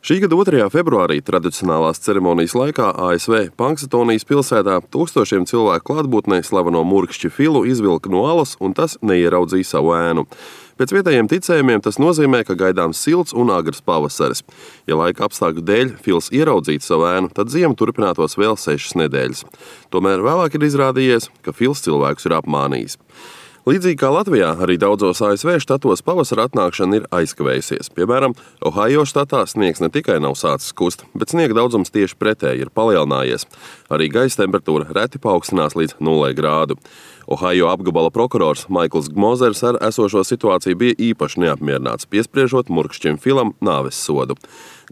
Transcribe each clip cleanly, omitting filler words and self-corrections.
Šī gada 2. februārī tradicionālās ceremonijas laikā ASV Punxsutawnijas pilsētā tūkstošiem cilvēku klātbūtnē slaveno murkšķi Filu izvilka no alas un tas neieraudzīja savu ēnu. Pēc vietējiem ticējumiem tas nozīmē, ka gaidāms silts un agrs pavasaris. Ja laika apstākļu dēļ Fils ieraudzītu savu ēnu, tad ziema turpinātos vēl 6 nedēļas. Tomēr vēlāk ir izrādījies, ka Fils cilvēkus ir apmānījis. Līdzīgi kā Latvijā, arī daudzos ASV štatos pavasara atnākšana ir aizkavējusies. Piemēram, Ohajo štatā sniegs ne tikai nav sācis kust, bet sniega daudzums tieši pretēji ir palielinājies. Arī gaisa temperatūra reti paaugstinās līdz 0 grādu. Ohajo apgabala prokurors Maikls Gmozers ar esošo situāciju bija īpaši neapmierināts, piespriežot murkšķim Filam nāves sodu.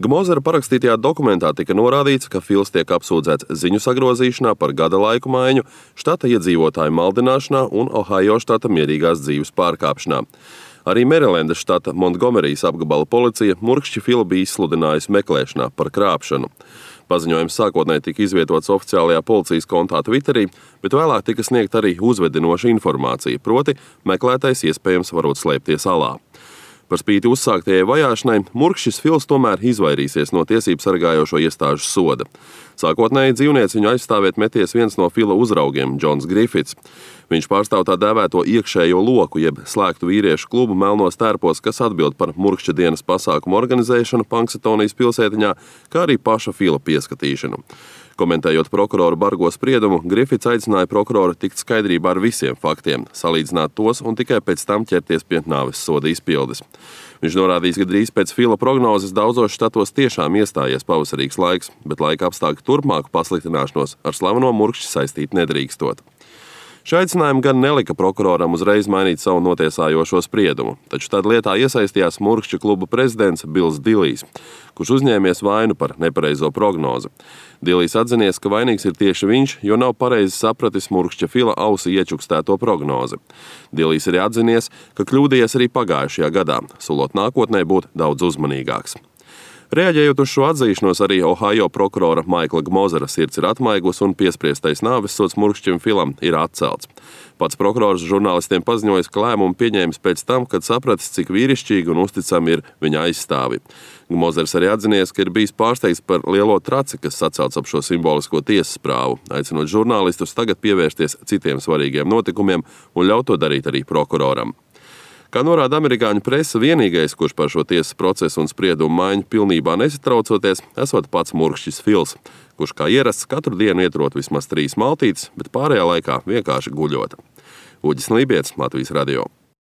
Gmozera parakstītajā dokumentā tika norādīts, ka Fils tiek apsūdzēts ziņu sagrozīšanā par gada laiku maiņu, štata iedzīvotāju maldināšanā un Ohajo štata mierīgās dzīves pārkāpšanā. Arī Merilendas štata Montgomerijas apgabala policija murkšķi Filu bija izsludinājusi meklēšanā par krāpšanu. Paziņojums sākotnēji tika izvietots oficiālajā policijas kontā Twitterī, bet vēlāk tika sniegta arī uzvedinoša informācija, proti meklētais iespējams varot slēpties alā. Par spīti uzsāktajai vajāšanai, murkšķis Fils tomēr izvairīsies no tiesību sargājošo iestāžu soda. Sākotnēji dzīvnieciņu aizstāvēt meties viens no Fila uzraugiem, Džons Grifits. Viņš pārstāv tā dēvēto iekšējo loku, jeb slēgtu vīriešu klubu melnos tērpos, kas atbild par murkšķa dienas pasākumu organizēšanu Punxsutawnijas pilsētiņā, kā arī paša Fila pieskatīšanu. Komentējot prokuroru bargo spriedumu, Grifits aicināja prokuroru tikt skaidrībā ar visiem faktiem, salīdzināt tos un tikai pēc tam ķerties pie nāves soda izpildes. Viņš norādījis, ka drīz pēc Fila prognozes daudzos štatos tiešām iestājies pavasarīgs laiks, bet laika apstākļu turpmāku pasliktināšanos ar slaveno murkšķi saistīt nedrīkstot. Šī aicinājuma gan nelika prokuroram uzreiz mainīt savu notiesājošo spriedumu, taču tad lietā iesaistījās murkšķu kluba prezidents Bills Dillijs, kurš uzņēmies vainu par nepareizo prognozi. Dillijs atzinies, ka vainīgs ir tieši viņš, jo nav pareizi sapratis murkšķa Fila ausi iečukstēto prognozi. Dillijs arī atzinies, ka kļūdījies arī pagājušajā gadā, solot nākotnē būt daudz uzmanīgāks. Reaģējot uz šo atzīšanos, arī Ohajo prokurora Maikla Gmozera sirds ir atmaigus un piespriestais nāves sods murkšķim Filam ir atcelts. Pats prokurors žurnālistiem paziņojis, ka lēmumu pieņēmis pēc tam, kad sapratis, cik vīrišķīgi un uzticami ir viņa aizstāvi. Gmozers arī atzinies, ka ir bijis pārsteigts par lielo traci, kas sacelts ap šo simbolisko tiesas prāvu, aicinot žurnālistus tagad pievērsties citiem svarīgiem notikumiem un ļaut to darīt arī prokuroram. Kā norāda amerikāņu presa, vienīgais, kurš par šo tiesas procesu un spriedumu maiņu pilnībā nesatraucoties, esot pats murkšķis Fils, kurš kā ierasts katru dienu ietrot vismaz 3 maltītes, bet pārējā laikā vienkārši guļot. Uģis Lībietis, Latvijas radio.